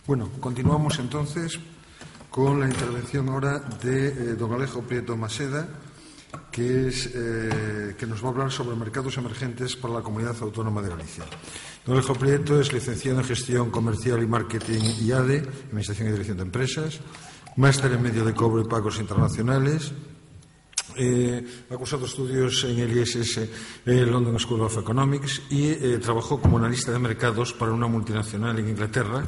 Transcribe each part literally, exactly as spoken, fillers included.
Bueno, continuamos entonces con la intervención ahora de eh, don Alejo Prieto Maseda, que, es, eh, que nos va a hablar sobre mercados emergentes para la Comunidad Autónoma de Galicia. Don Alejo Prieto es licenciado en Gestión Comercial y Marketing I A D E, Administración y Dirección de Empresas, máster en Medio de Cobro y Pagos Internacionales, eh, ha cursado estudios en el I S S eh, London School of Economics y eh, trabajó como analista de mercados para una multinacional en Inglaterra.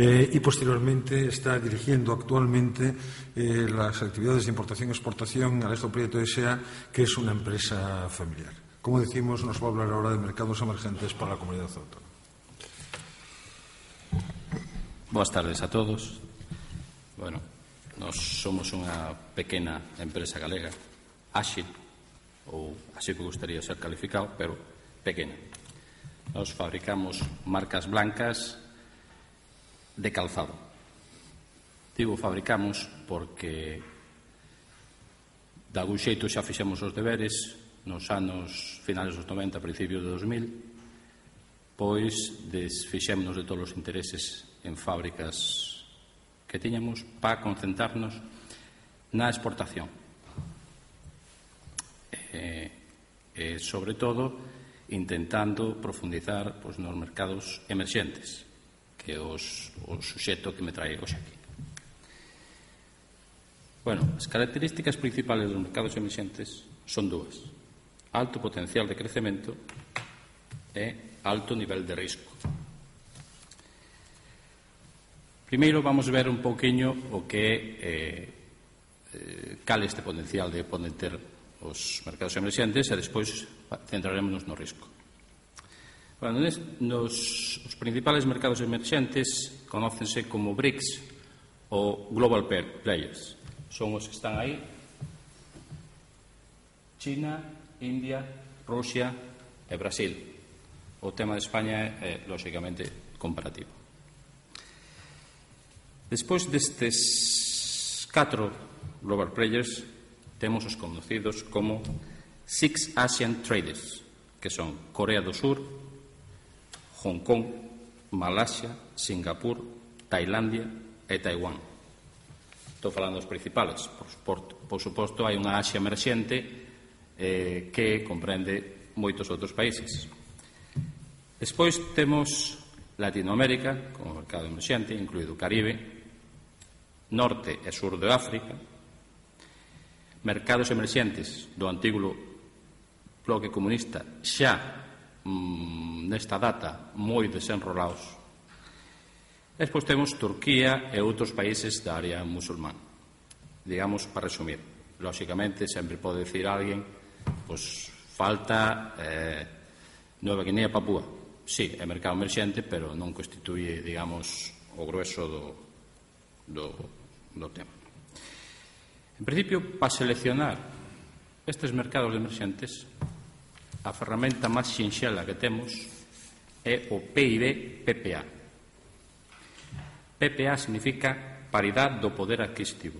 Eh, y posteriormente está dirigiendo actualmente eh, las actividades de importación y exportación Alejo Prieto S A, que es una empresa familiar. Como decimos, nos va a hablar ahora de mercados emergentes para la comunidad autónoma. Boas tardes a todos. Bueno, nós somos unha pequena empresa galega, áxil, ou así que gustaría ser calificado, pero pequena. Nós fabricamos marcas blancas de calzado. Digo fabricamos porque de algún xeito xa fixemos os deberes nos anos finales dos noventa, principios de dos mil, pois desfixémonos de todos os intereses en fábricas que tiñamos para concentrarnos na exportación e, e sobre todo intentando profundizar pois, nos mercados emerxentes, que é os, o suxeto que me trae hoxe aquí. Bueno, as características principales dos mercados emerxentes son dúas: alto potencial de crecemento e alto nivel de risco. Primeiro vamos ver un pouquiño o que é eh, cal este potencial de poden ter os mercados emerxentes e despois centraremos no risco. Bueno, nos os principales mercados emerxentes conócense como BRICS ou Global Players. Son os que están aí: China, India, Rusia e Brasil. O tema de España é, lóxicamente, comparativo. Despois destes catro Global Players temos os conocidos como Six Asian Traders, que son Corea do Sur, Hong Kong, Malasia, Singapur, Tailandia e Taiwán. Estou falando dos principales. Por suposto, por suposto hai unha Asia emerxente eh, que comprende moitos outros países. Despois temos Latinoamérica como mercado emerxente, incluído o Caribe, Norte e Sur de África, mercados emerxentes do antigo bloque comunista xa nesta data moi desenrolados. Despois temos Turquía e outros países da área musulmán. Digamos, para resumir, lóxicamente sempre pode decir alguén, pois falta eh, Nueva Guinea, Papúa. Sí, é mercado emerxente, pero non constituye, digamos, o grueso do, do, do tema. En principio, para seleccionar estes mercados emerxentes, a ferramenta máis sinxela que temos é o P I B P P A. P P A significa paridade do poder adquisitivo.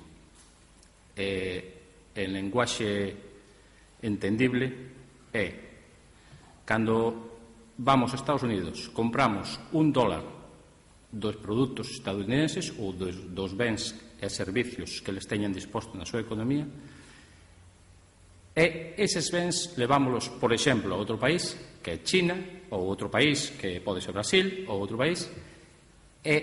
E, en lenguaxe entendible, é cando vamos a Estados Unidos, compramos un dólar dos produtos estadounidenses ou dos, dos bens e servicios que les teñan disposto na súa economía, e eses bens levámolos, por exemplo, a outro país, que é China, ou outro país, que pode ser Brasil, ou outro país, e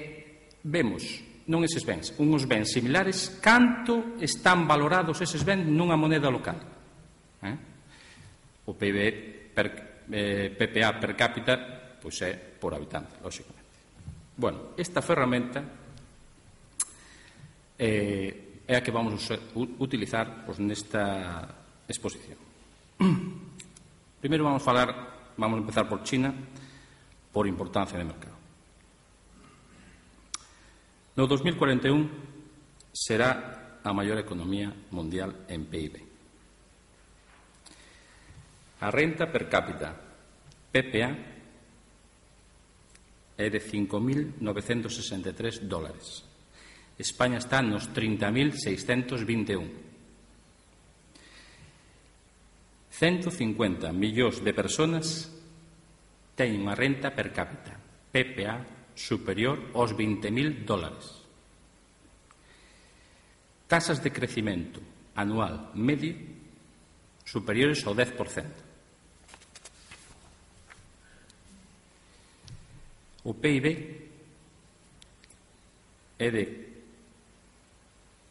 vemos, non eses bens, uns bens similares, canto están valorados eses bens nunha moneda local. Eh? O P I B per, eh, P P A per cápita pois é por habitante, lóxicamente. Bueno, esta ferramenta eh, é a que vamos a utilizar pois, nesta exposición. Primeiro vamos falar, vamos a empezar por China, por importancia de mercado. No dos mil cuarenta e un será a maior economía mundial en P I B. A renta per cápita P P A é de cinco mil novecentos sesenta e tres dólares. España está nos trinta mil seiscentos vinte e un. ciento cincuenta millóns de persoas teñen unha renta per cápita P P A superior aos vinte mil dólares. Tasas de crecimento anual medio superiores ao dez por cento. O P I B é de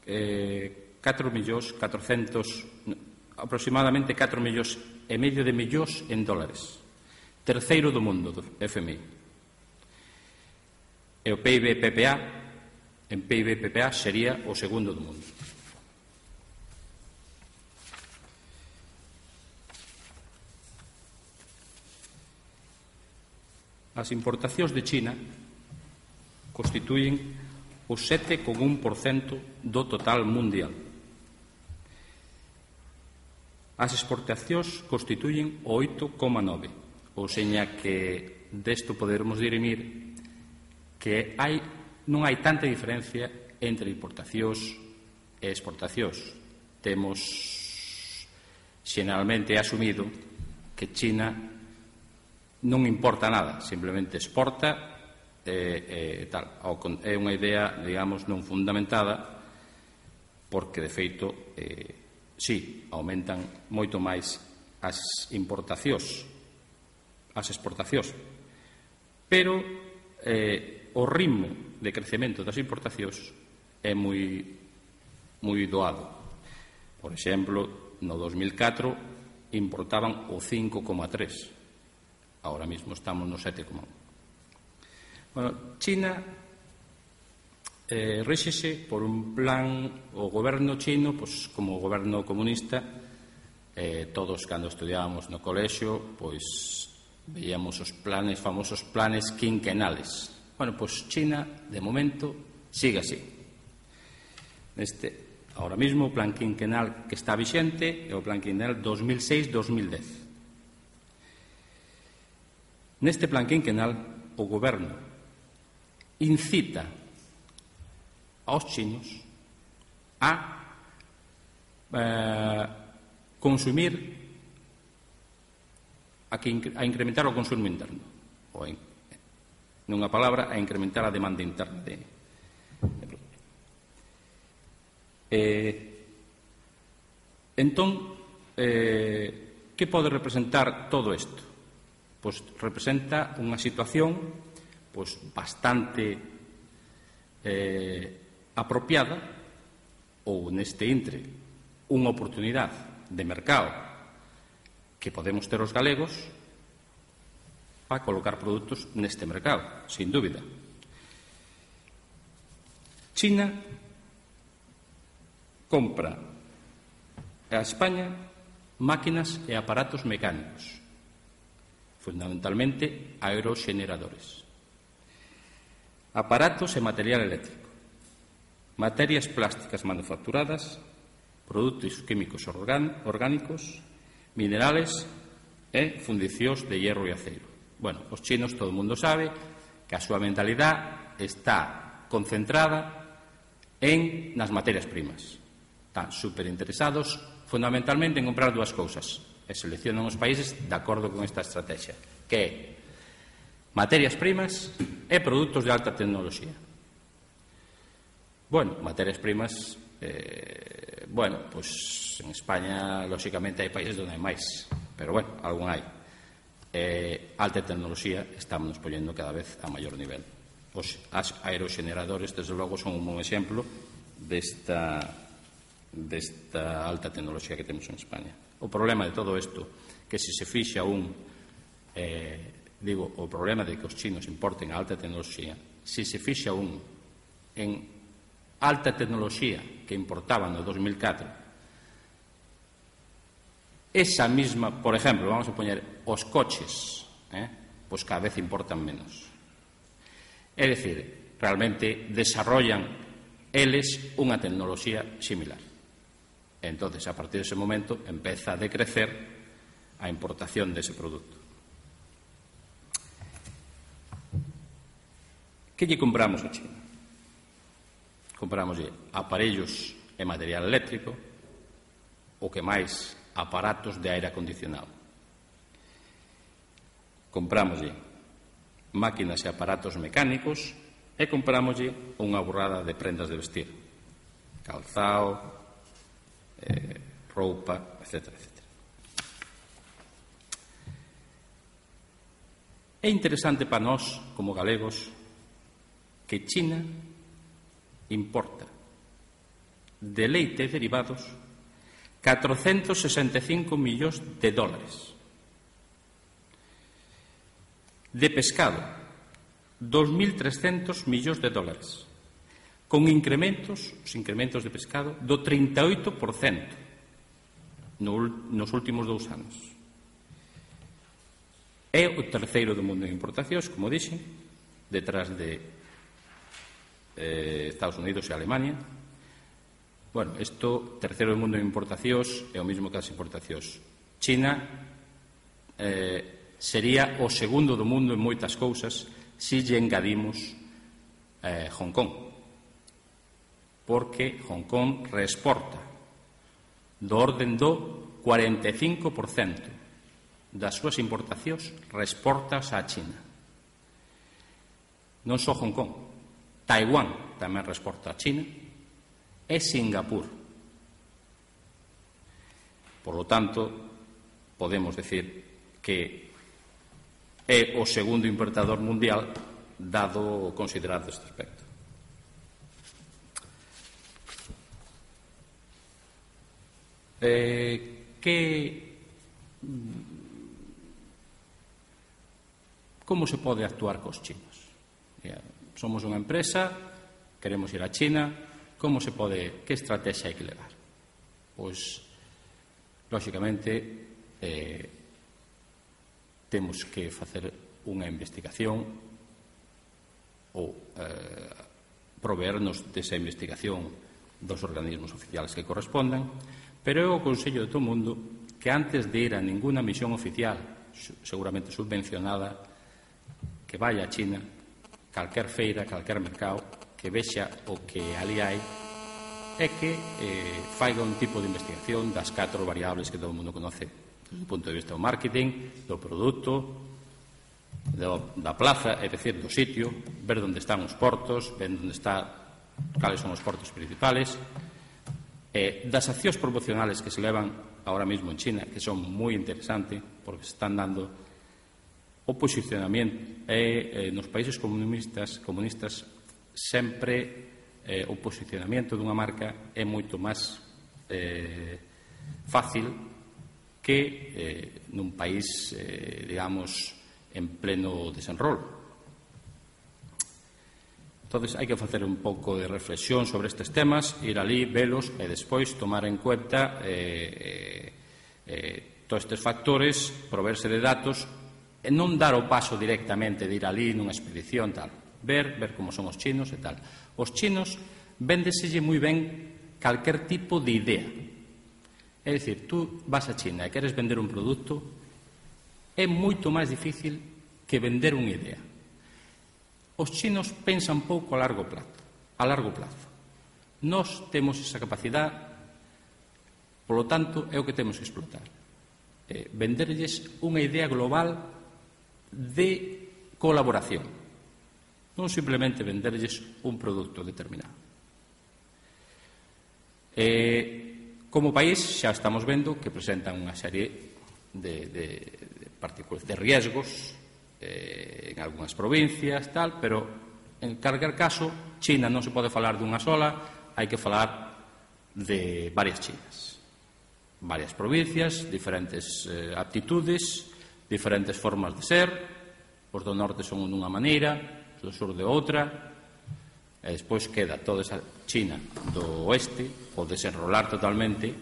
eh, catro millóns catrocentos, aproximadamente catro millóns e medio de millóns en dólares. Terceiro do mundo do F M I. E o P I B P P A, en P I B P P A sería o segundo do mundo. As importacións de China constituyen o sete coma un por cento do total mundial. As exportacións constituyen o oito coma nove por cento, ou seña que desto podermos dirimir que hai, non hai tanta diferencia entre importacións e exportacións. Temos xeneralmente asumido que China non importa nada, simplemente exporta e, e tal. É unha idea, digamos, non fundamentada, porque, de feito, eh, sí, aumentan moito máis as importacións, as exportacións, pero eh, o ritmo de crecemento das importacións é moi, moi doado. Por exemplo, no dos mil catro importaban o cinco coma tres por cento. Ahora mismo estamos no sete coma un por cento. Bueno, China eh, ríxese por un plan, o goberno chino, pues, como o goberno comunista, eh, todos cando estudiábamos no colexio, pois veíamos os planes, famosos planes quinquenales. Bueno, pois China, de momento, sigue así. Neste, ahora mismo, o plan quinquenal que está vixente é o plan quinquenal dos mil seis a dos mil dez. Neste plan quinquenal, o goberno incita aos chinos a eh, consumir, a, que, a incrementar o consumo interno, ou, en, nunha palabra, a incrementar a demanda interna de, de produto. Eh, entón, eh, que pode representar todo isto? Pois representa unha situación pois bastante eh, apropiada, ou neste intre unha oportunidade de mercado que podemos ter os galegos para colocar produtos neste mercado, sin dúbida. China compra a España máquinas e aparatos mecánicos, fundamentalmente aeroxeneradores, aparatos e material eléctrico, materias plásticas manufacturadas, produtos químicos orgánicos, minerales e fundicións de hierro e aceiro. Bueno, os chinos, todo o mundo sabe que a súa mentalidade está concentrada en nas materias primas. Están superinteresados fundamentalmente en comprar dúas cousas, e seleccionan os países de acordo con esta estrategia, que é materias primas e produtos de alta tecnoloxía. Bueno, materias primas, eh, bueno, pois en España, lóxicamente, hai países onde hai máis, pero, bueno, algún hai. Eh, alta tecnoloxía estamos poñendo cada vez a maior nivel. Os aeroxeneradores, desde logo, son un bon exemplo desta, desta alta tecnoloxía que temos en España. O problema de todo isto, que se se fixa un, eh, digo, o problema de que os chinos importen a alta tecnoloxía, se se fixa un en alta tecnoloxía que importaban no dos mil catro, esa mesma, por exemplo, vamos a poñer os coches, eh, pois cada vez importan menos. É dicir, realmente desarrollan eles unha tecnoloxía similar. Entonces, a partir dese momento, empeza a decrecer a importación dese produto. Que lle compramos a China? Compramoslle aparellos e material eléctrico, o que máis, aparatos de aire acondicionado. Compramoslle máquinas e aparatos mecánicos e comprámoslle unha burrada de prendas de vestir, calzao, eh, roupa, etcétera, etcétera. É interesante para nós, como galegos, que China importa de leite e derivados catrocentos sesenta e cinco millóns de dólares, de pescado dos mil trescentos millóns de dólares, con incrementos, os incrementos de pescado do trinta e oito por cento no, nos últimos dous anos. É o terceiro do mundo en importacións, como dixen, detrás de eh, Estados Unidos e Alemania. Bueno, isto, terceiro do mundo en importacións, é o mesmo que as importacións. China eh, sería o segundo do mundo en moitas cousas se lle engadimos eh, Hong Kong, porque Hong Kong reexporta do orden do cuarenta e cinco por cento das súas importacións reexportas a China. Non só Hong Kong, Taiwán tamén reexporta a China e Singapur. Por lo tanto, podemos decir que é o segundo importador mundial, dado considerado este aspecto. Eh, que como se pode actuar cos chinos? Somos unha empresa, queremos ir a China, como se pode, que estrategia hai que levar? Pois, lóxicamente, eh, temos que facer unha investigación ou eh, proveernos desa investigación dos organismos oficiales que correspondan, pero eu aconsello de todo o mundo que antes de ir a ninguna misión oficial, seguramente subvencionada, que vaya a China, calquer feira, calquer mercado, que vexa o que ali hai e que eh, faiga un tipo de investigación das catro variables que todo o mundo conoce desde o punto de vista do marketing, do produto, do, da plaza, é dicir, do sitio, ver onde están os portos, ver onde está, cales son os portos principales, eh, das accións promocionales que se levan ahora mesmo en China, que son moi interesantes, porque se están dando o posicionamento é, eh, nos países comunistas, comunistas sempre eh, o posicionamento dunha marca é moito máis eh, fácil que eh, nun país, eh, digamos, en pleno desenrolo. Entón, hai que facer un pouco de reflexión sobre estes temas, ir ali, velos e despois tomar en cuenta eh, eh, todos estes factores, proverse de datos e non dar o paso directamente de ir ali nunha expedición, tal. Ver, ver como son os chinos e tal. Os chinos véndeselle moi ben calquer tipo de idea. É dicir, tú vas a China e queres vender un produto, é moito máis difícil que vender unha idea. Os chinos pensan pouco a largo plazo. A largo plazo. Nós temos esa capacidade, polo tanto, é o que temos que explotar. Eh, venderlles unha idea global de colaboración, non simplemente venderlles un produto determinado. Eh, como país xa estamos vendo que presentan unha serie de, de, de partículas de riesgos eh, en algunhas provincias, tal, pero en calquer caso China non se pode falar dunha sola, hai que falar de varias Chinas, varias provincias, diferentes eh, aptitudes, diferentes formas de ser. Os do norte son dunha maneira, os do sur de outra, e despois queda toda esa China do oeste, o desenrolar totalmente,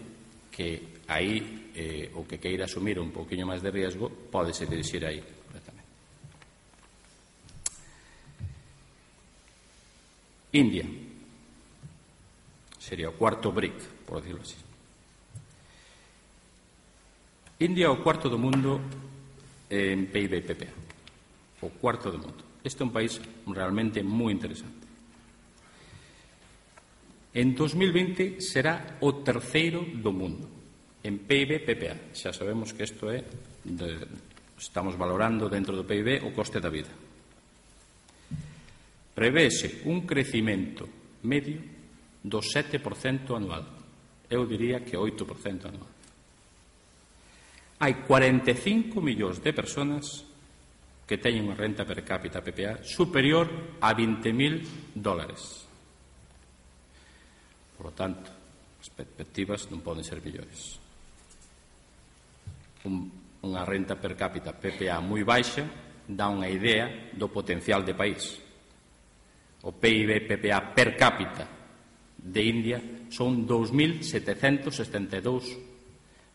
que aí eh, o que queira asumir un pouquiño máis de riesgo pode se dirixir aí completamente. India sería o cuarto BRIC, por decirlo así. India é o cuarto do mundo en P I B e P P A, o cuarto do mundo. Este é un país realmente moi interesante. En dos mil vinte será o terceiro do mundo en P I B e P P A. Xa sabemos que isto é, de, estamos valorando dentro do P I B o coste da vida. prevese un crecimento medio do sete por cento anual. Eu diría que oito por cento anual. Hai cuarenta e cinco millóns de persoas que teñen unha renta per cápita P P A superior a vinte mil dólares. Por lo tanto, as perspectivas non poden ser mellores. Un, unha renta per cápita P P A moi baixa dá unha idea do potencial de país. O P I B P P A per cápita de India son dous mil setecentos setenta e dous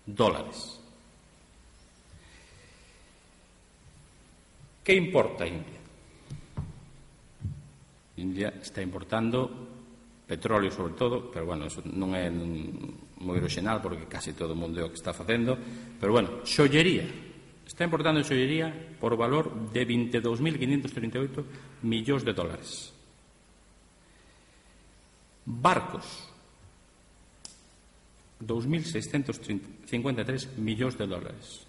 dólares. Que importa India? India está importando petróleo sobre todo, pero bueno, eso non é moi original porque casi todo o mundo é o que está facendo, pero bueno, xollería. Está importando xollería por valor de veintidós mil quinientos trinta e oito millóns de dólares. Barcos, dous mil seiscentos cincuenta e tres millóns de dólares.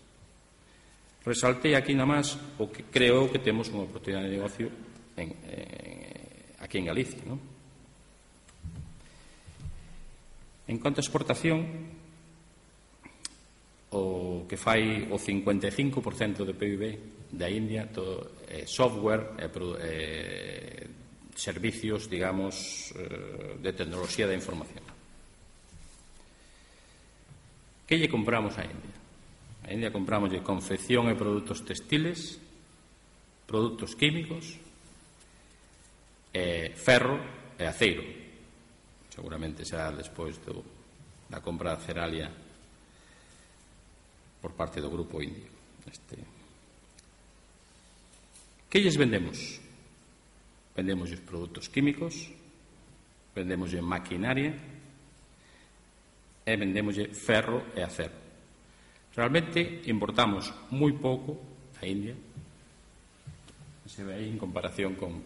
Resaltei aquí namás o que creo que temos unha oportunidade de negocio en, eh, aquí en Galicia, non? En cuanto a exportación, o que fai o cincuenta e cinco por cento do P I B da India, todo é software e eh, servicios, digamos, eh, de tecnoloxía da información. Que lle compramos a India? A India compramos de confección e produtos textiles, produtos químicos, e ferro e aceiro. Seguramente será despois do, da compra de Ceralia por parte do grupo indio. Este. Que lles vendemos? Vendemos os produtos químicos, vendemos maquinaria e vendemos ferro e acero. Realmente importamos moi pouco a India, se ve aí en comparación con,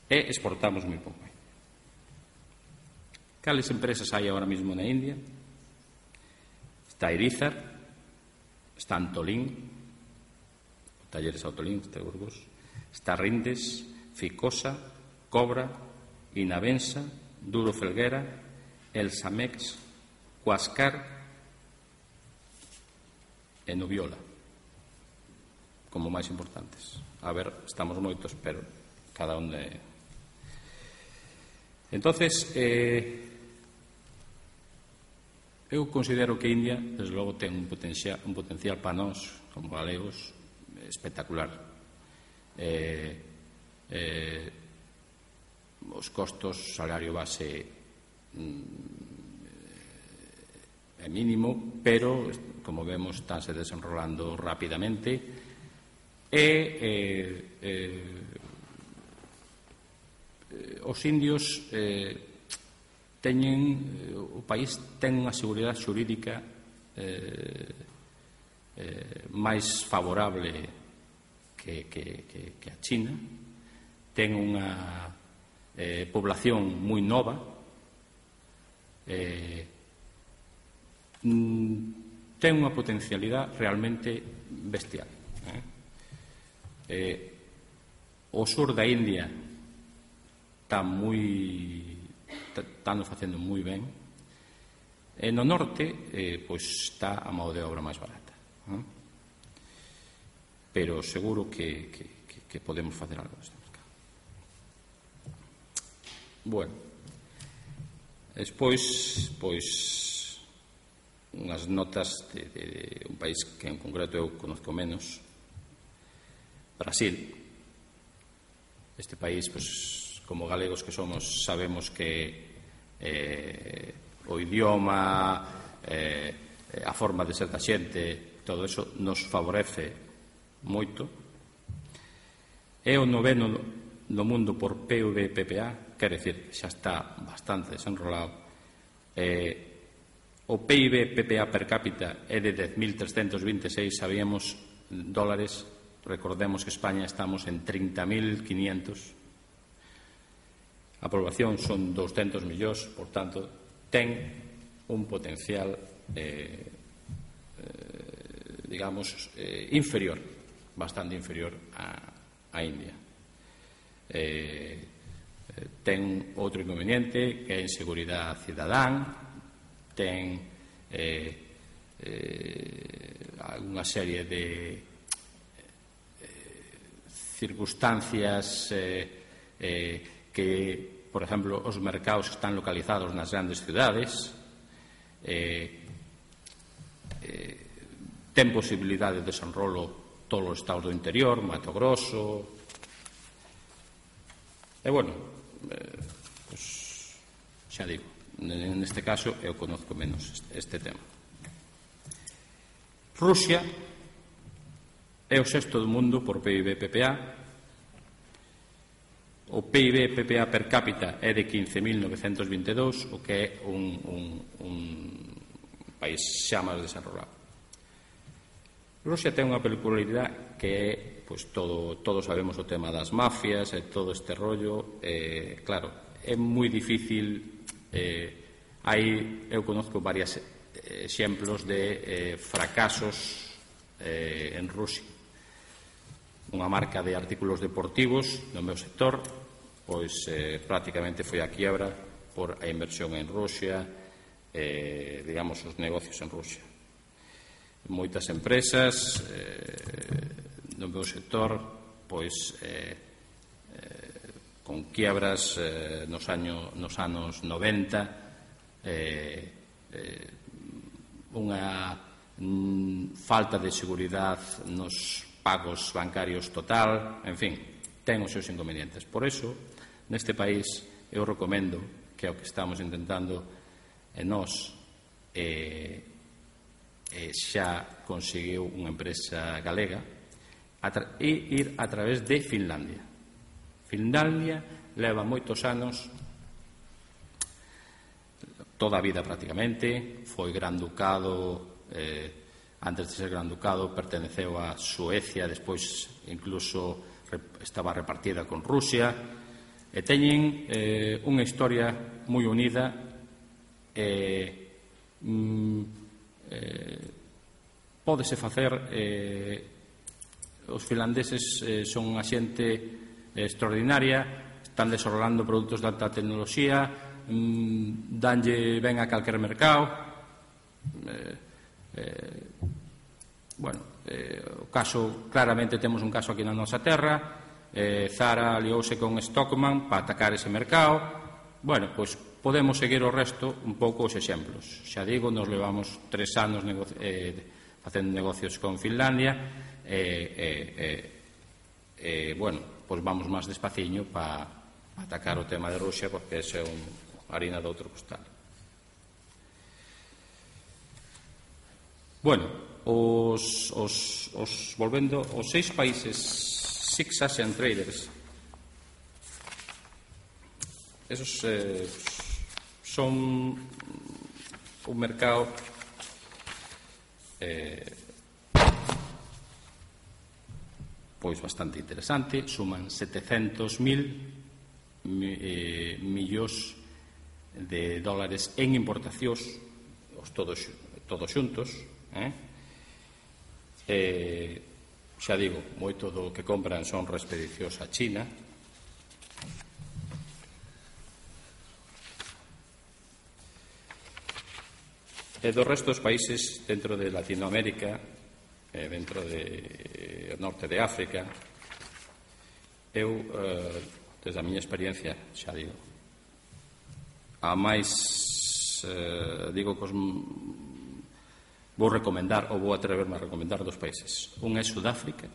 e exportamos moi pouco. Cales empresas hai agora mesmo na India? Está Irizar, está Antolín, Talleres Autolín, este Burgos, está Rindes, Ficosa, Cobra, Inavensa, Duro Felguera, El Samex, Huascar e Nubiola como máis importantes. A ver, estamos moitos, pero cada un de... Entonces, eh, eu considero que India, desde logo, ten un potencial, un potencial para nós, como galegos, espectacular. Eh, eh, os costos, salario base mm, é mínimo, pero, como vemos, estánse desenrolando rapidamente e eh, eh, os indios eh, teñen, o país ten unha seguridade xurídica eh, eh, máis favorable que, que, que, que a China, ten unha eh, población moi nova, eh, ten unha potencialidade realmente bestial. Eh? Eh, o sur da India está moi están facendo moi ben, e no norte eh, pois está a mão de obra máis barata, eh? Pero seguro que, que, que, que podemos facer algo deste mercado. Bueno, despois pois unhas notas de, de, de un país que en concreto eu conozco menos, Brasil. Este país, pues, como galegos que somos, sabemos que eh, o idioma, eh, a forma de ser da xente, todo eso nos favorece moito. É o noveno do mundo por P I B P P A, quer decir que xa está bastante desenrolado. Eh, O P I B P P A per cápita é de dez mil trescentos vinte e seis, sabíamos, dólares. Recordemos que España estamos en trinta mil quinientos. A población son douscentos millóns, por tanto, ten un potencial, eh, eh, digamos, eh, inferior, bastante inferior a, a India. eh, ten outro inconveniente que é a inseguridade cidadán, ten eh, eh, unha serie de eh, circunstancias eh, eh, que, por exemplo, os mercados están localizados nas grandes cidades, eh, eh, ten posibilidade de desenrolo todos os estados do interior, Mato Grosso, e, bueno, eh, pues, xa digo, neste caso eu conozco menos este tema. Rusia é o sexto do mundo por P I B P P A. O P I B P P A per cápita é de quince mil novecentos vinte e dous, o que é un, un, un país xa máis desenrolado. Rusia ten unha peculiaridade que é, pois, todo, todos sabemos o tema das mafias e todo este rollo. Eh, claro, é moi difícil. Eh, hai, eu conozco varios exemplos de eh, fracasos eh, en Rusia. Unha marca de artículos deportivos no meu sector, pois eh, prácticamente foi a quiebra por a inversión en Rusia, eh, digamos, os negocios en Rusia. Moitas empresas eh, no meu sector, pois eh, eh, con quiebras eh, nos, año, nos anos noventa, eh, eh, unha mm, falta de seguridade nos pagos bancarios total, en fin, ten os seus inconvenientes. Por eso, neste país, eu recomendo que o que estamos intentando e nós eh, eh, xa conseguiu unha empresa galega e ir a través de Finlandia. Finlandia leva moitos anos, toda a vida prácticamente, foi gran ducado, eh, antes de ser gran ducado perteneceu a Suecia, despois incluso estaba repartida con Rusia, e teñen eh, unha historia moi unida. eh, mm, eh, pódese facer, eh, os finlandeses eh, son unha xente extraordinaria, están desenrolando produtos de alta tecnoloxía, mm, danlle ben a calquer mercado. eh, eh, bueno, eh, o caso, claramente temos un caso aquí na nosa terra. eh, Zara aliouse con Stockmann para atacar ese mercado. Bueno, pois podemos seguir o resto un pouco os exemplos. Xa digo, nos levamos tres anos negoci eh, facendo negocios con Finlandia e, eh, eh, eh, bueno, pois vamos máis despaciño para pa atacar o tema de Rusia, porque ese é un harina de outro costal. Bueno, os, os, os volvendo os seis países Six Asian Traders, esos eh, son un mercado eh, pois bastante interesante. Suman setecentos mil eh, millóns de dólares en importacións, os todos, todos xuntos, eh? Eh, xa digo, moito do que compran son expedicións a China. E do resto dos países dentro de Latinoamérica, e dentro de norte de África, eu, eh, desde a miña experiencia, xa digo, a máis eh, digo que os vou recomendar, ou vou atreverme a recomendar dos países. Un é Sudáfrica.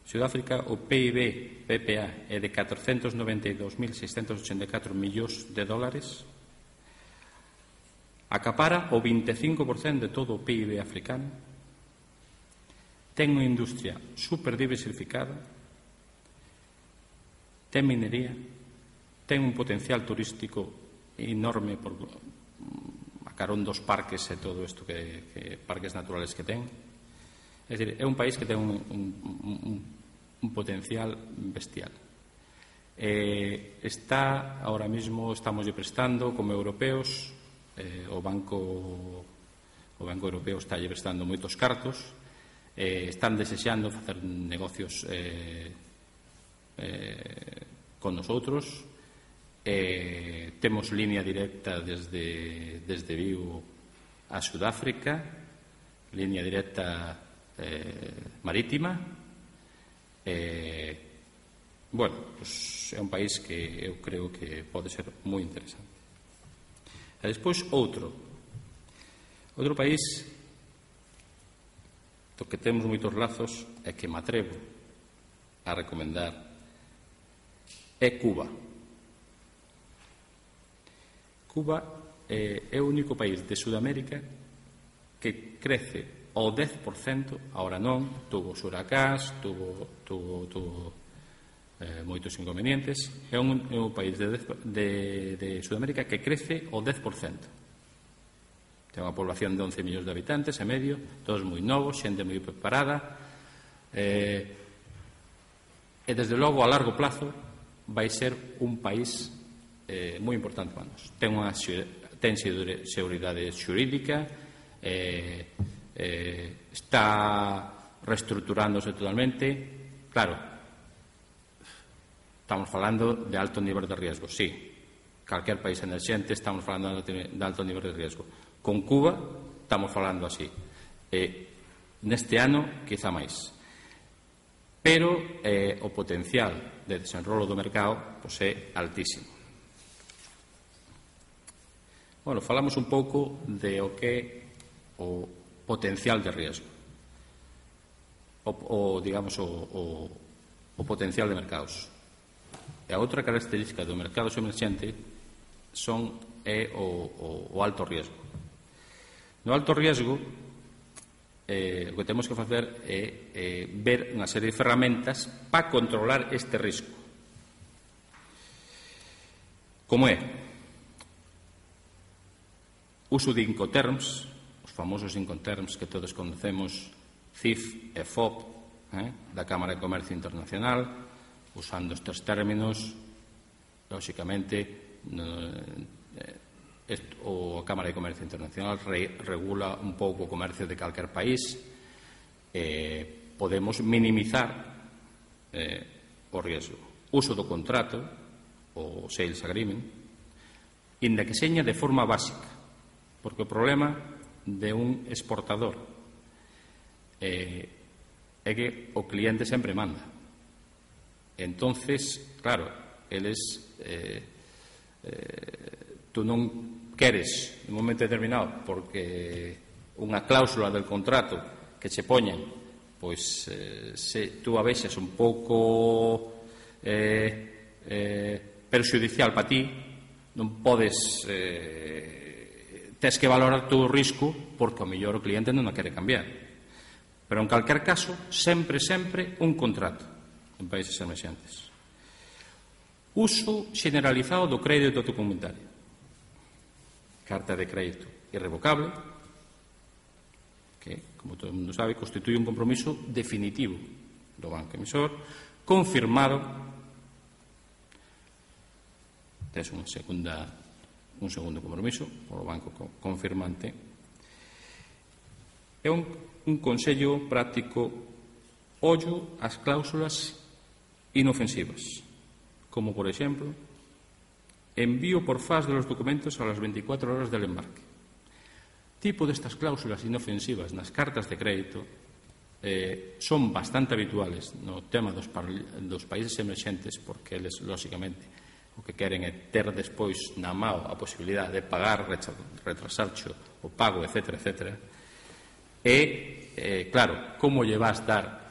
Sudáfrica, o P I B P P A é de catrocentos noventa e dous mil seiscentos ochenta e catro millóns de dólares. Acapara o vinte e cinco por cento de todo o P I B africano. Ten unha industria super diversificada. Ten minería. Ten un potencial turístico enorme por a carón dos parques e todo isto que, que parques naturales que ten. É dicir, é un país que ten un, un, un, un potencial bestial. Eh, está, ahora mismo, estamos prestando como europeos, eh, o Banco o Banco Europeo está prestando moitos cartos, eh, están desexando facer negocios eh, eh, con nosotros. Eh, temos línea directa desde, desde Vigo a Sudáfrica, línea directa eh, marítima. Eh, bueno, pues é un país que eu creo que pode ser moi interesante. E despois outro outro país do que temos moitos lazos e que me atrevo a recomendar é Cuba. Cuba eh, é o único país de Sudamérica que crece ao dez por cento, ahora non, tuvo huracás, tuvo, tuvo, tuvo eh, moitos inconvenientes. É un, é un país de, de, de Sudamérica que crece ao dez por cento. Ten unha población de once millóns de habitantes e medio, todos moi novos, xente moi preparada, eh, e desde logo a largo plazo vai ser un país eh, moi importante para nós. Ten unha ten seguridade xurídica, eh, eh, está reestructurándose totalmente. Claro, estamos falando de alto nivel de riesgo, sí. Calquer país emerxente estamos falando de alto nivel de riesgo. Con Cuba estamos falando así. Eh, neste ano, quizá máis. Pero eh, o potencial de desenrolo do mercado pois, é altísimo. Bueno, falamos un pouco de o que é o potencial de riesgo. O, o digamos, o, o, o potencial de mercados. E a outra característica do mercado emerxente son é o, o, o alto riesgo. No alto riesgo, eh, o que temos que facer é eh, ver unha serie de ferramentas para controlar este risco. Como é? Uso de Incoterms, os famosos Incoterms que todos conocemos, C I F e F O P, eh, da Cámara de Comercio Internacional, usando estes términos, lóxicamente, no, eh, esto, o a Cámara de Comercio Internacional re, regula un pouco o comercio de calquer país. Eh, podemos minimizar eh, o riesgo. Uso do contrato, o Sales Agreement, inda que seña de forma básica, porque o problema de un exportador eh, é que o cliente sempre manda. Entonces, claro, eles eh, eh, tú non queres en un momento determinado porque unha cláusula del contrato que che poñen pois eh, se tú a vexas un pouco eh, eh, perxudicial para ti, non podes eh, tes que valorar todo o risco porque ao mellor o cliente non a quere cambiar. Pero en calquer caso, sempre, sempre un contrato en países emerxentes. Uso generalizado do crédito documentario. Carta de crédito irrevocable, que, como todo o mundo sabe, constituye un compromiso definitivo do banco emisor, confirmado. Tes unha segunda un segundo compromiso polo banco confirmante. É un, un consello práctico: ollo ás cláusulas inofensivas, como por exemplo envío por fax de los documentos a las veinticuatro horas del embarque. Tipo destas cláusulas inofensivas nas cartas de crédito eh, son bastante habituales no tema dos, dos países emerxentes, porque eles, lóxicamente, o que queren é ter despois na mao a posibilidade de pagar, retrasarcho o pago, etcétera, etcétera. E, eh, claro, como lle vas dar,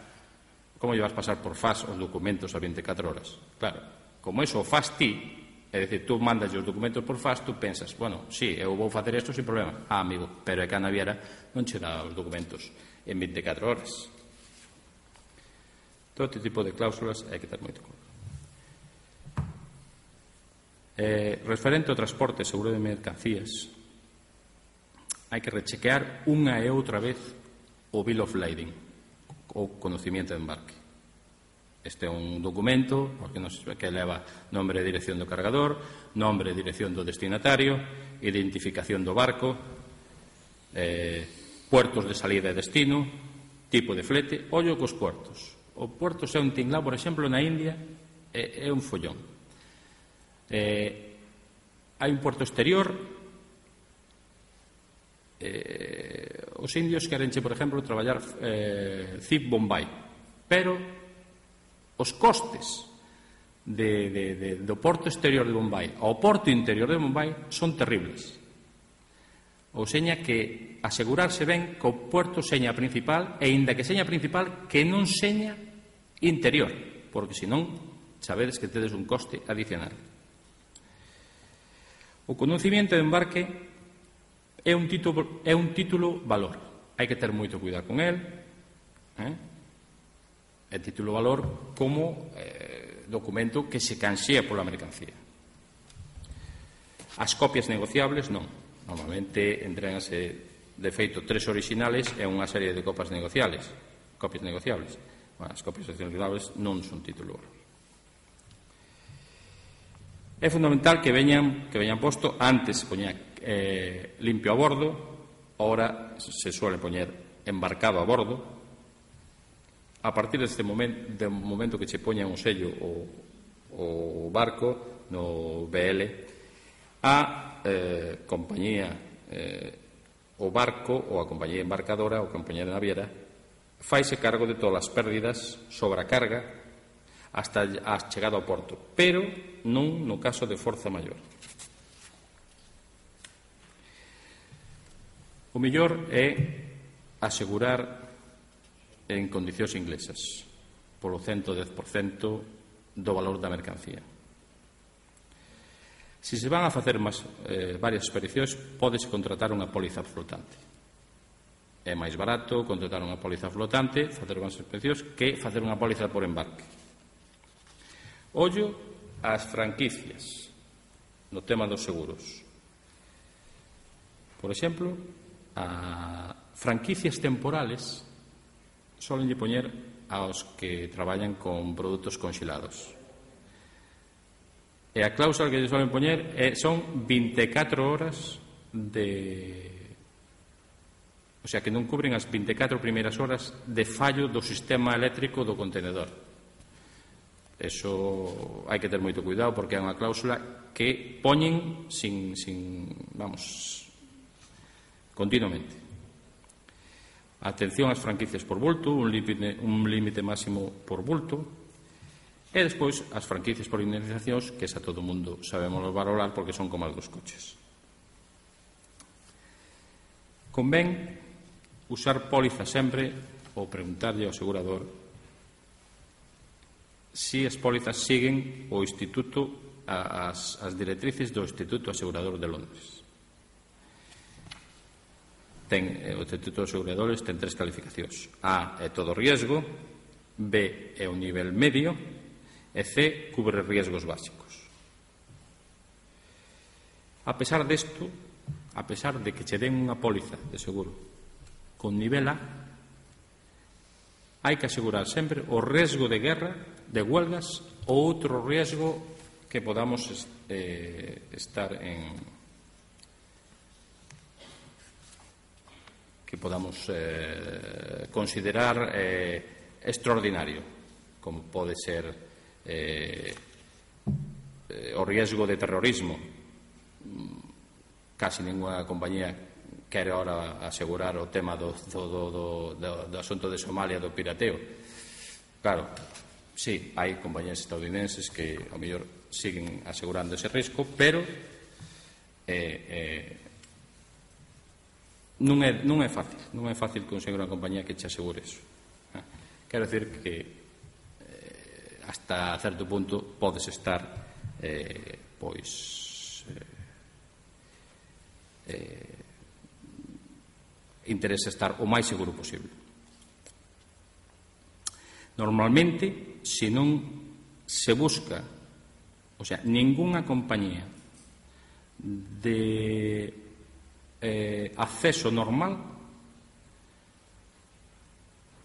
como lle vas pasar por fax os documentos a veinticuatro horas? Claro, como eso o faz ti, é dicir, tú mandas os documentos por fax, tú pensas, bueno, sí, eu vou facer isto sin problema. Ah, amigo, pero é que a naviera non che dá os documentos en veinticuatro horas. Todo este tipo de cláusulas hai que ter moito cuidado. Eh, referente ao transporte e seguro de mercancías, hai que rechequear unha e outra vez o Bill of Lading, ou conocimiento de embarque. Este é un documento que leva nombre e dirección do cargador, nombre e dirección do destinatario, identificación do barco, eh, puertos de salida e destino, tipo de flete. Ollo cos puertos. O puerto é un tinglao, por exemplo, na India é, é un follón. Eh, hai un puerto exterior. Eh, os indios querenche, por exemplo, traballar eh, C I P Bombay, pero os costes de, de, de, do porto exterior de Bombay ao porto interior de Bombay son terribles. Ou seña que asegurarse ben que o puerto seña principal, e inda que seña principal, que non seña interior, porque senón sabedes que tedes un coste adicional. O coñecemento de embarque é un título, é un título valor. Hai que ter moito cuidado con el. Eh? É título valor como eh, documento que se canxea pola mercancía. As copias negociables non. Normalmente entréganse de feito tres orixinales e unha serie de copas negociables. Copias negociables. Bueno, as copias negociables non son título valor. É fundamental que veñan, que veñan posto antes se poñía eh, limpio a bordo, ahora se suele poñer embarcado a bordo. A partir deste momento, do momento que che poñan o sello o, o barco no B L, a eh, compañía eh, o barco ou a compañía embarcadora ou a compañía naviera faise cargo de todas as pérdidas sobre a carga hasta a chegada ao porto, pero non no caso de forza maior. O mellor é asegurar en condicións inglesas polo ciento dez por cento do valor da mercancía. Se se van a facer máis, eh, varias expedicións, pódese contratar unha póliza flotante. É máis barato contratar unha póliza flotante, facer unhas expedicións, que facer unha póliza por embarque. Ollo ás franquicias no tema dos seguros. Por exemplo, a franquicias temporales solen poñer aos que traballan con produtos conxelados. E a cláusula que lle solen poñer é, son vinte e catro horas de... O sea, que non cubren as vinte e catro primeiras horas de fallo do sistema eléctrico do contenedor. Eso hai que ter moito cuidado porque é unha cláusula que poñen sin, sin vamos, continuamente. Atención ás franquicias por bulto, un límite, un límite máximo por bulto, e despois as franquicias por indemnizacións, que xa todo o mundo sabemos valorar porque son como as dos coches. Convén usar póliza sempre ou preguntarlle ao asegurador si as pólizas siguen o instituto as, as directrices do Instituto Asegurador de Londres. Ten, o Instituto de Aseguradores ten tres calificacións. A é todo riesgo, B é o nivel medio e C cubre riesgos básicos. A pesar desto, a pesar de que che den unha póliza de seguro con nivel A, hai que asegurar sempre o riesgo de guerra, de huelgas ou outro riesgo que podamos eh, estar en que podamos eh, considerar eh, extraordinario, como pode ser eh, eh, o riesgo de terrorismo. Casi ninguna compañía quere ahora asegurar o tema do, do, do, do, do asunto de Somalia, do pirateo. Claro, sí, hai compañías estadounidenses que ao mellor siguen asegurando ese risco, pero eh, eh, non, é, non é fácil non é fácil conseguir unha compañía que che asegure eso. Eh? Quero decir que eh, hasta certo punto podes estar eh, pois eh, eh, interesa estar o máis seguro posible. Normalmente, se non se busca, o sea, ningunha compañía de eh, acceso normal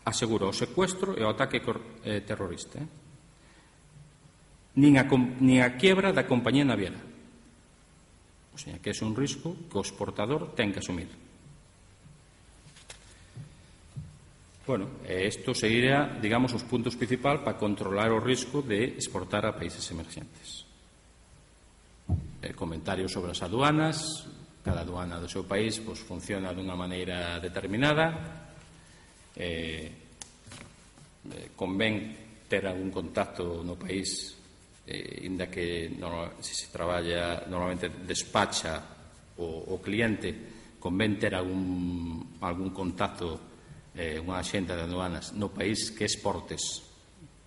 asegura o secuestro e o ataque eh, terrorista, eh? nin, a, nin a quiebra da compañía naviera. O sea, que é un risco que o exportador ten que asumir. Bueno, isto sería, digamos, os puntos principal para controlar o risco de exportar a países emergentes. Eh, comentarios sobre as aduanas. Cada aduana do seu país pues, funciona dunha maneira determinada. Eh, eh, convén ter algún contacto no país, eh, inda que no, se se traballa normalmente despacha o, o cliente, convén ter algún, algún contacto, eh, unha axenta de aduanas no país que exportes,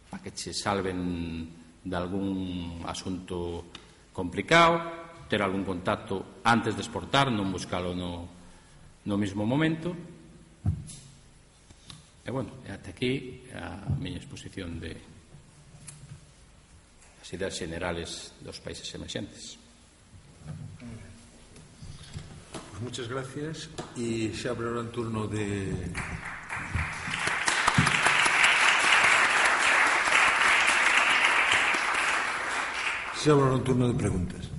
para que che salven de algún asunto complicado, ter algún contacto antes de exportar, non buscalo no, no mismo momento. E, bueno, até aquí a miña exposición de as ideas generales dos países emerxentes. Pues muchas gracias. Y se abre ahora el turno de... Se abre ahora un turno de preguntas.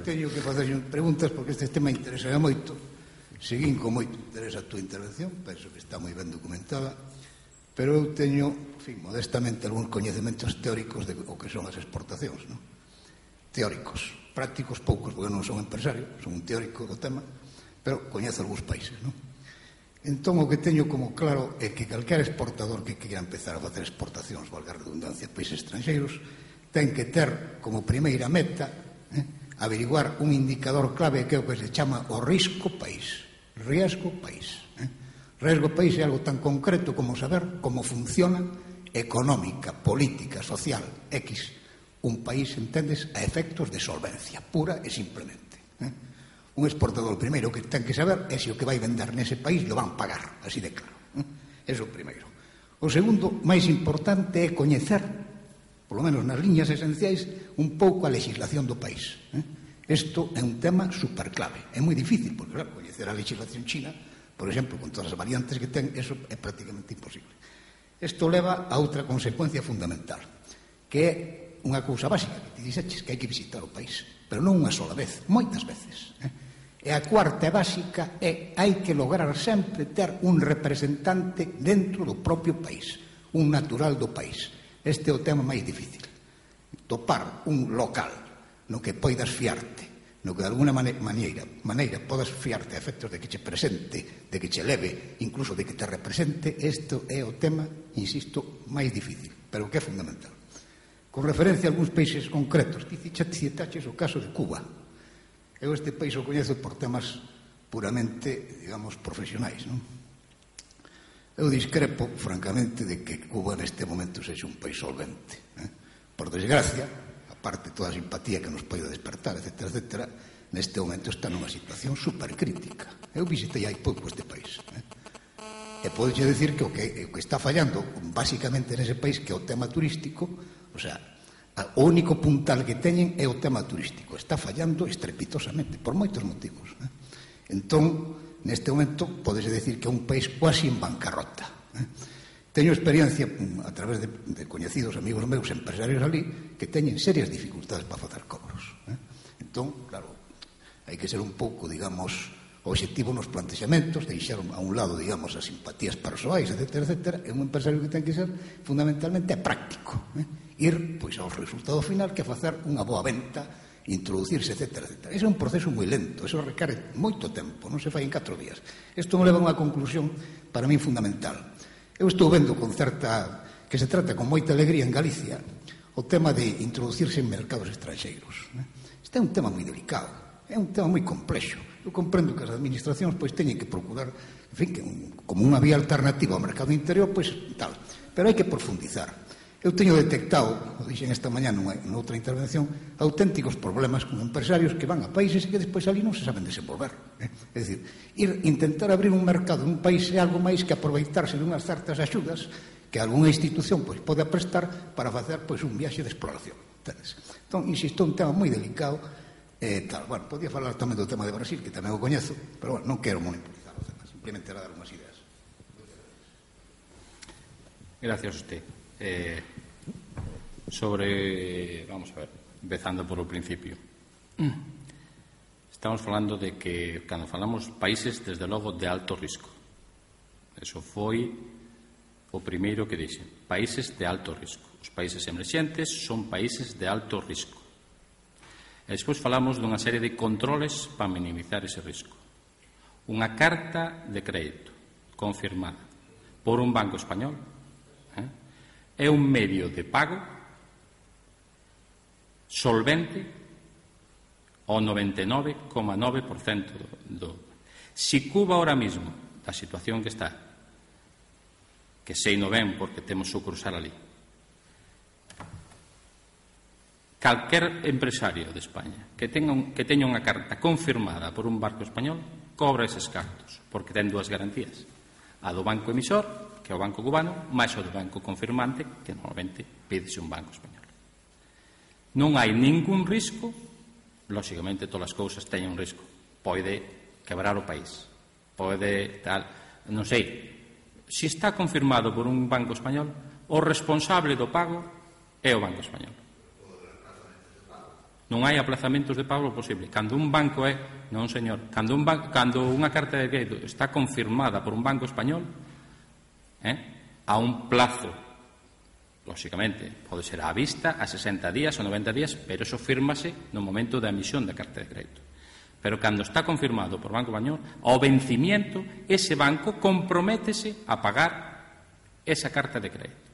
Teño que facer preguntas porque este tema interesa moito. Seguín con moito interés a túa intervención, penso que está moi ben documentada, pero eu teño, en fin, modestamente algúns coñecementos teóricos de o que son as exportacións, non? Teóricos, prácticos poucos, porque non son empresario, son un teórico do tema, pero coñezo algúns países, non? Entón, o que teño como claro é que calquer exportador que queira empezar a facer exportacións, valga a redundancia, a países estranxeiros, ten que ter como primeira meta eh, averiguar un indicador clave que é o que se chama o risco país. Riesgo país. Eh? Riesgo país é algo tan concreto como saber como funciona económica, política, social, X, un país, entendes, a efectos de solvencia, pura e simplemente. Eh? Un exportador, primeiro, que ten que saber é se o que vai vender nese país lo van pagar, así de claro. Eh? Eso o primeiro. O segundo, máis importante, é coñecer, polo menos nas liñas esenciais, un pouco a legislación do país. Isto é un tema superclave. É moi difícil, porque, claro, coñecer a legislación china, por exemplo, con todas as variantes que ten, eso é prácticamente imposible. Isto leva a outra consecuencia fundamental, que é unha cousa básica, que te dixeches, que hai que visitar o país, pero non unha sola vez, moitas veces. E a cuarta e básica é hai que lograr sempre ter un representante dentro do propio país, un natural do país. Este é o tema máis difícil. Topar un local no que poidas fiarte, no que de alguna maneira, maneira podas fiarte a efectos de que che presente, de que che leve, incluso de que te represente, isto é o tema, insisto, máis difícil, pero que é fundamental. Con referencia a algúns países concretos, citaches o caso de Cuba. Eu este país o coñezo por temas puramente, digamos, profesionais, non? Eu discrepo, francamente, de que Cuba neste momento sexa un país solvente. Eh? Por desgracia, aparte de toda a simpatía que nos pode despertar, etcétera, etcétera, neste momento está nunha situación supercrítica. Eu visitei hai pouco este país. Eh? E podeche decir que o que, o que está fallando, basicamente nese país, que é o tema turístico, o sea, o único puntal que teñen é o tema turístico. Está fallando estrepitosamente, por moitos motivos. Eh? Entón, neste momento, podese decir que é un país quasi en bancarrota. Eh? Teño experiencia a través de, de coñecidos amigos meus empresarios ali que teñen serias dificultades para facer cobros. Eh? Entón, claro, hai que ser un pouco, digamos, obxectivo nos plantexamentos, deixar a un lado, digamos, as simpatías persoais, etcétera, etcétera. É un empresario que ten que ser fundamentalmente práctico. Eh? Ir, pois, ao resultado final que é facer unha boa venta, introducirse, etcétera, etcétera. Ese é un proceso moi lento, eso requere moito tempo, non se fai en catro días. Isto me leva a unha conclusión para mí fundamental. Eu estou vendo con certa, que se trata con moita alegría en Galicia, o tema de introducirse en mercados estranxeiros. Este é un tema moi delicado, é un tema moi complexo. Eu comprendo que as administracións pois teñen que procurar, en fin, que un, como unha vía alternativa ao mercado interior, pois tal, pero hai que profundizar. Eu teño detectado, o dixen esta mañá nunha, noutra intervención, auténticos problemas con empresarios que van a países e que despois ali non se saben desenvolver. Eh? É dicir, ir intentar abrir un mercado nun país é algo máis que aproveitarse dunhas certas axudas que algunha institución pois, pode prestar para facer pois, un viaxe de exploración. Entendes? Entón, insisto, un tema moi delicado e tal. Bueno, podía falar tamén do tema de Brasil, que tamén o coñezo, pero bueno, non quero monopolizar o tema, simplemente era dar unhas ideas. Gracias a usted. Eh, sobre, vamos a ver, empezando por o principio. Estamos falando de que, cando falamos países, desde logo, de alto risco. Eso foi o primeiro que dixen. Países de alto risco. Os países emerxentes son países de alto risco. E despois falamos dunha serie de controles para minimizar ese risco. Unha carta de crédito confirmada por un banco español eh, é un medio de pago solvente ao noventa e nove coma nove por cento do, do. Si Cuba ahora mismo, da situación que está, que sei non ben porque temos sucursal ali, calquer empresario de España que teña, un, que teña unha carta confirmada por un banco español cobra eses cartos, porque ten dúas garantías: a do banco emisor, que é o banco cubano, máis o do banco confirmante, que normalmente pídese un banco español. Non hai ningún risco. Lóxicamente, todas as cousas teñen un risco. Pode quebrar o país, pode tal, non sei. Se está confirmado por un banco español, o responsable do pago é o banco español. Non hai aplazamentos de pago posible. Cando un banco é, non señor, cando, un banco, cando unha carta de crédito está confirmada por un banco español, eh, a un plazo, lóxicamente, pode ser á vista, a sesenta días ou noventa días, pero eso fírmase no momento da emisión da carta de crédito. Pero cando está confirmado por Banco Español, ao vencimiento, ese banco comprométese a pagar esa carta de crédito.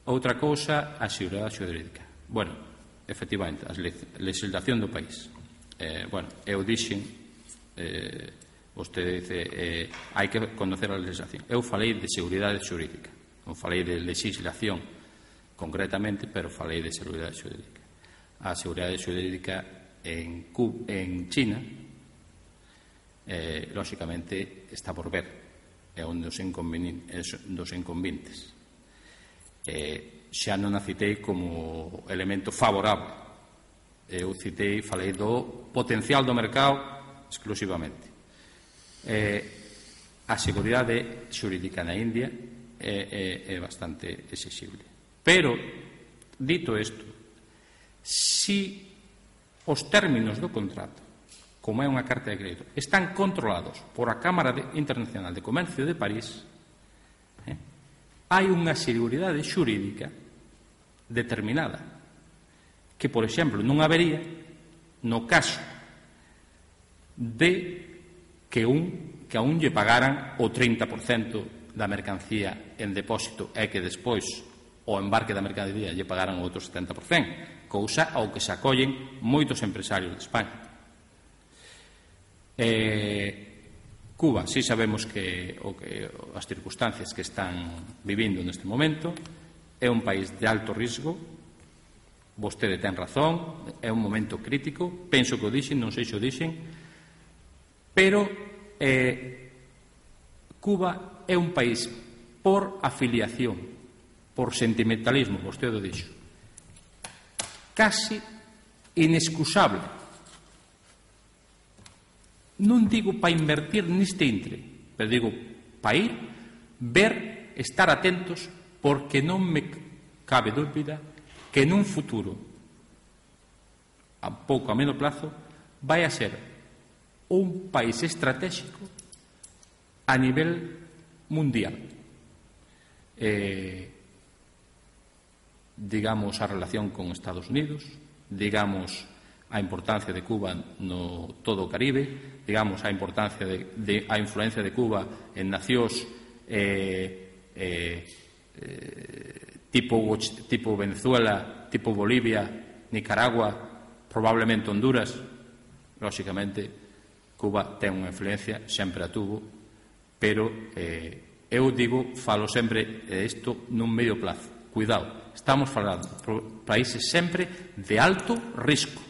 Outra cousa, a seguridade xurídica. Bueno, efectivamente, a legislación do país. Eh, bueno, eu dixen, eh, vostede dice, eh, hai que conocer a legislación. Eu falei de seguridade xurídica, non falei de legislación concretamente, pero falei de seguridade xurídica. A seguridade xurídica en, Cuba, en China, eh, lóxicamente, está por ver. É un dos inconvenientes. Eh, xa non a citei como elemento favorable. Eu citei, falei do potencial do mercado exclusivamente. Eh, a seguridade xurídica na India é, é, é bastante exixible. Pero, dito isto, si os términos do contrato, como é unha carta de crédito, están controlados por a Cámara de, Internacional de Comercio de París, eh, hai unha seguridade xurídica determinada que, por exemplo, non habería no caso de que, un, que a un lle pagaran o trinta por cento da mercancía en depósito e que despois o embarque da mercancía lle pagaran o outro setenta por cento, cousa ao que se acollen moitos empresarios de España. Eh, Cuba, si sabemos que, o que as circunstancias que están vivindo neste momento, é un país de alto risco. Vostede ten razón, é un momento crítico, penso que o dixen, non sei se o dixen, pero eh, Cuba é un país por afiliación, por sentimentalismo, vostede o dixo, casi inexcusable. Non digo para invertir neste intre, pero digo para ir, ver, estar atentos, porque non me cabe dúbida que nun futuro, a pouco a medio plazo, vai a ser un país estratégico a nivel mundial. Eh, digamos a relación con Estados Unidos, digamos a importancia de Cuba no todo o Caribe, digamos a importancia de, de a influencia de Cuba en nacións eh, eh, eh, tipo, tipo Venezuela, tipo Bolivia, Nicaragua, probablemente Honduras. Lóxicamente, Cuba ten unha influencia, sempre a tuvo, pero eh, eu digo, falo sempre isto nun medio plazo. Cuidado, estamos falando por países sempre de alto risco.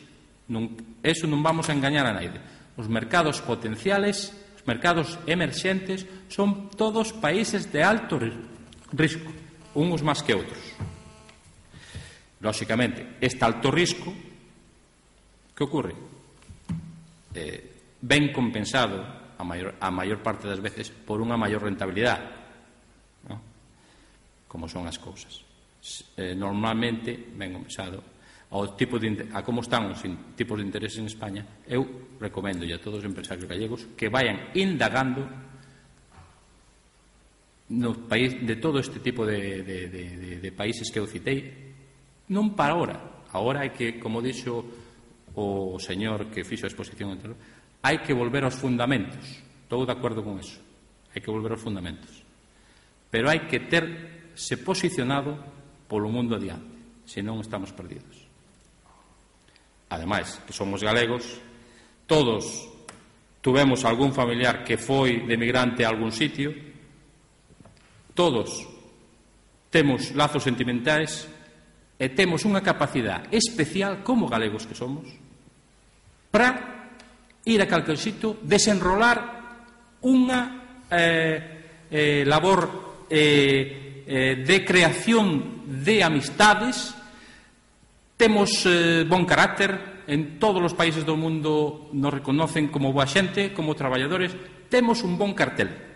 Non, eso non vamos a engañar a naide. Os mercados potenciales, os mercados emerxentes, son todos países de alto risco, uns máis que outros. Lóxicamente, este alto risco Que ocorre? Eh, ben compensado a maior, a maior parte das veces por unha maior rentabilidade, ¿no? Como son as cousas. Eh, normalmente, ben compensado, ao tipo de, a como están os in, tipos de interés en España, eu recomendo a todos os empresarios gallegos que vayan indagando no país, de todo este tipo de, de, de, de, de países que eu citei, non para ahora. Ahora hai que, como dixo o señor que fixo a exposición anterior, hai que volver aos fundamentos. Estou de acordo con eso. Hai que volver aos fundamentos. Pero hai que terse posicionado polo mundo adiante, senón estamos perdidos. Ademais, que somos galegos, todos tuvemos algún familiar que foi de migrante a algún sitio, todos temos lazos sentimentais e temos unha capacidade especial como galegos que somos para ir a calquer sitio, desenrolar unha eh, eh, labor eh, eh, de creación de amistades. Temos eh, bon carácter, en todos os países do mundo nos reconocen como boa xente, como traballadores. Temos un bon cartel.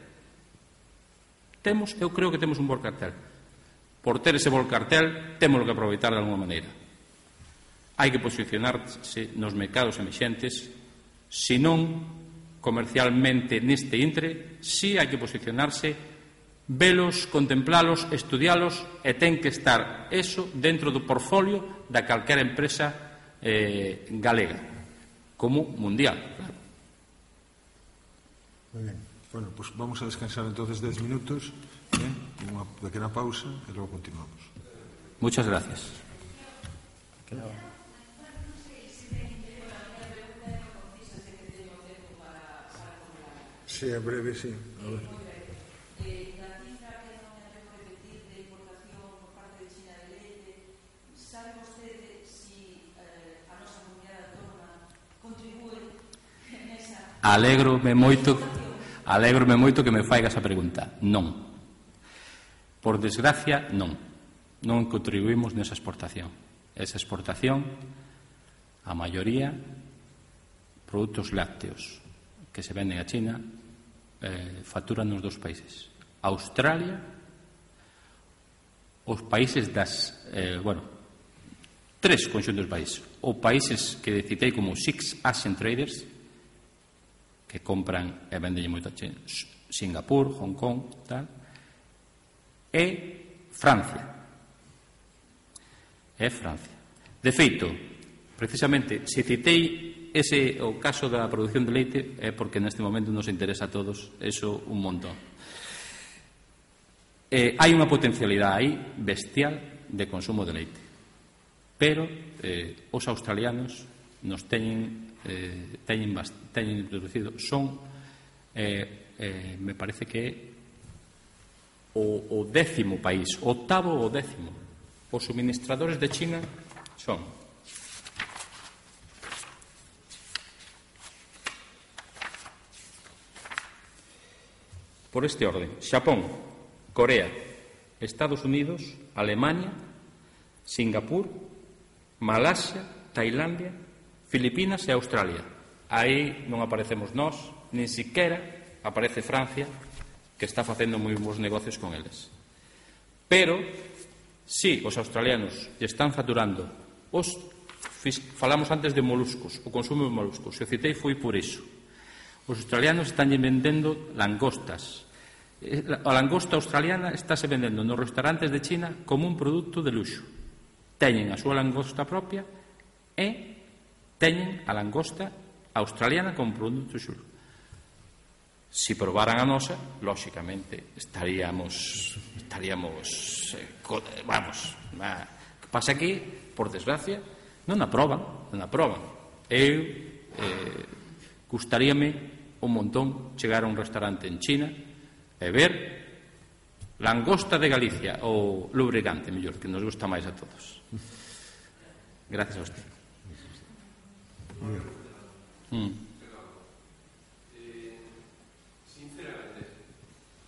Temos, eu creo que temos un bon cartel. Por ter ese bon cartel, temos que aproveitar de alguma maneira. Hai que posicionarse nos mercados emerxentes, se non comercialmente neste intre, si hai que posicionarse, velos, contemplalos, estudialos, e ten que estar eso dentro do portfolio da calquera empresa eh, galega, como mundial, claro. Muy bien. Bueno, pues vamos a descansar entonces diez minutos, ¿eh? Una pequeña pausa y luego continuamos. Muchas gracias. Sí, en breve, sí. A ver. Alégrome moito Alégrome moito que me faiga esa pregunta. Non. Por desgracia, non. Non contribuímos nesa exportación. Esa exportación, a maioría, produtos lácteos que se venden a China, eh, facturan nos dos países. Australia, os países das, eh, bueno, tres conxuntos de países. Os países que citei como Six Asian Traders, que compran e venden moito a China, Singapur, Hong Kong, tal, e Francia. E Francia. De feito, precisamente, se citei ese o caso da produción de leite é porque neste momento nos interesa a todos eso un montón. Eh, hai unha potencialidade aí bestial de consumo de leite, pero eh, os australianos nos teñen eh, teñen, teñen introducido son eh, eh, me parece que é o, o décimo país, octavo ou décimo. Os suministradores de China son por este orden: Xapón, Corea, Estados Unidos, Alemania, Singapur, Malasia, Tailandia, Filipinas e Australia. Aí non aparecemos nós, nin siquiera aparece Francia, que está facendo moi bons negocios con eles. Pero, si os australianos están facturando os, falamos antes de moluscos, o consumo de moluscos, se o citei foi por iso. Os australianos están vendendo langostas. A langosta australiana estáse vendendo nos restaurantes de China como un produto de luxo. Teñen a súa langosta propia e teñen a langosta australiana como produto de luxo. Se probaran a nosa, lóxicamente estaríamos estaríamos eh, vamos, ma, que pasa que, por desgracia, non aproban, non aproban. Eu eh, gustaríame un montón chegar a un restaurante en China e ver langosta de Galicia ou lubricante, mellor, que nos gusta máis a todos. Gracias a usted. Mm. Sinceramente,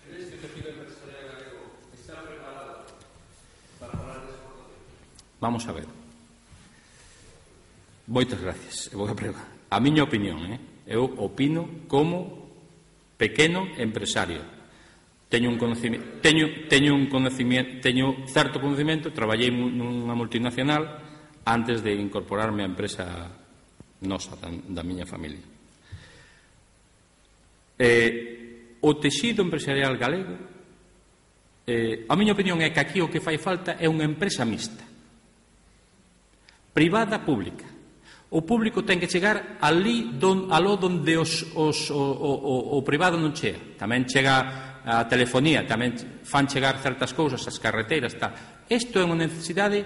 en este tejido empresarial galego está preparado para hablar de exportación. Vamos a ver. Moitas gracias. Vou a preguntar. A miña opinión, eh? eu opino como pequeno empresario. Teño un conocimiento, teño, teño un conocimiento, teño certo conocimiento, traballei nunha multinacional antes de incorporarme á empresa nosa, da, da miña familia. Eh, o texido empresarial galego, eh, a miña opinión é que aquí o que fai falta é unha empresa mixta, privada, pública. O público ten que chegar ali don, aló donde os, os, o, o, o privado non chega. Tamén chega a telefonía, tamén fan chegar certas cousas, as carreteiras, tal. Isto é unha necesidade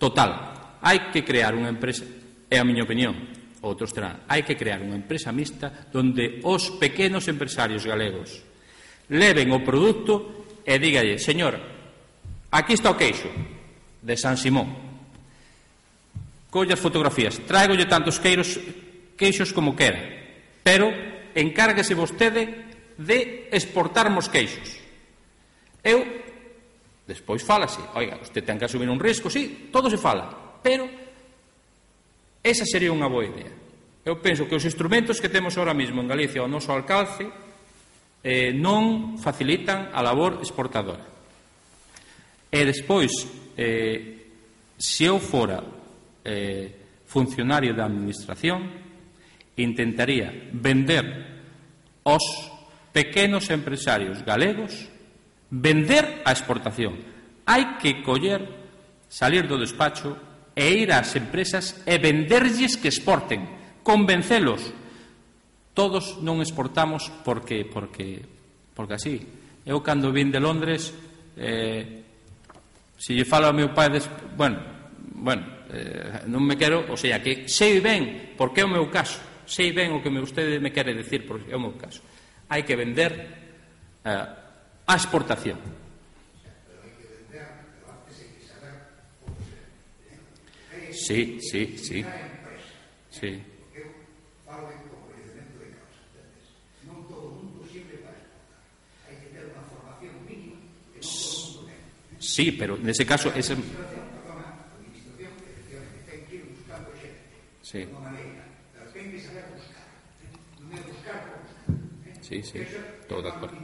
total. Hai que crear unha empresa, é a miña opinión, outros terán, hai que crear unha empresa mixta donde os pequenos empresarios galegos leven o produto e dígalle, señor, aquí está o queixo de San Simón, colle as fotografías, tráigolle tantos queiros, queixos como quera, pero encárguese vostede de exportarmos queixos. Eu, despois fálase, oiga, usted ten que asumir un risco, sí, todo se fala, pero esa sería unha boa idea. Eu penso que os instrumentos que temos ahora mismo en Galicia ao noso alcance eh, non facilitan a labor exportadora. E despois, eh, se eu fora Eh, funcionario da administración, intentaría vender aos pequenos empresarios galegos, vender a exportación. Hai que coller, salir do despacho e ir ás empresas e venderlles que exporten, convencelos. Todos non exportamos porque porque porque así. Eu cando vin de Londres, eh, se lle falo ao meu pai, des... bueno, bueno, Eh, non me quero, o sea, que sei ben porque é o meu caso, sei ben o que me, usted me quere decir porque é o meu caso. Hai que vender eh, a exportación. Sí, sí, sí. Sí. Sí, pero nese caso ese... Sí. Sí, sí, todo de acuerdo.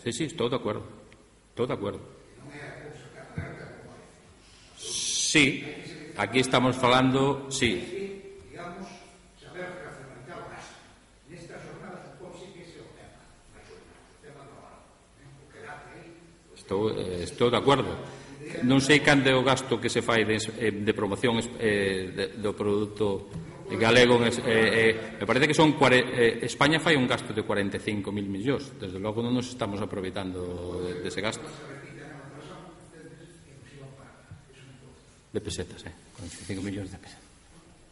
Sí, sí, todo de acuerdo. Todo de acuerdo. Sí, aquí estamos falando, sí. Estou, eh, estou de acordo. Non sei canto é o gasto que se fai de, de promoción eh, de, do produto galego. Eh, eh, me parece que son eh, España fai un gasto de cuarenta e cinco mil millóns. Desde logo non nos estamos aproveitando de, de ese gasto. De pesetas, eh? cuarenta e cinco millóns de pesetas.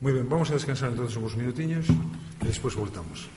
Muy ben, vamos a descansar entonces uns minutiños e despois voltamos.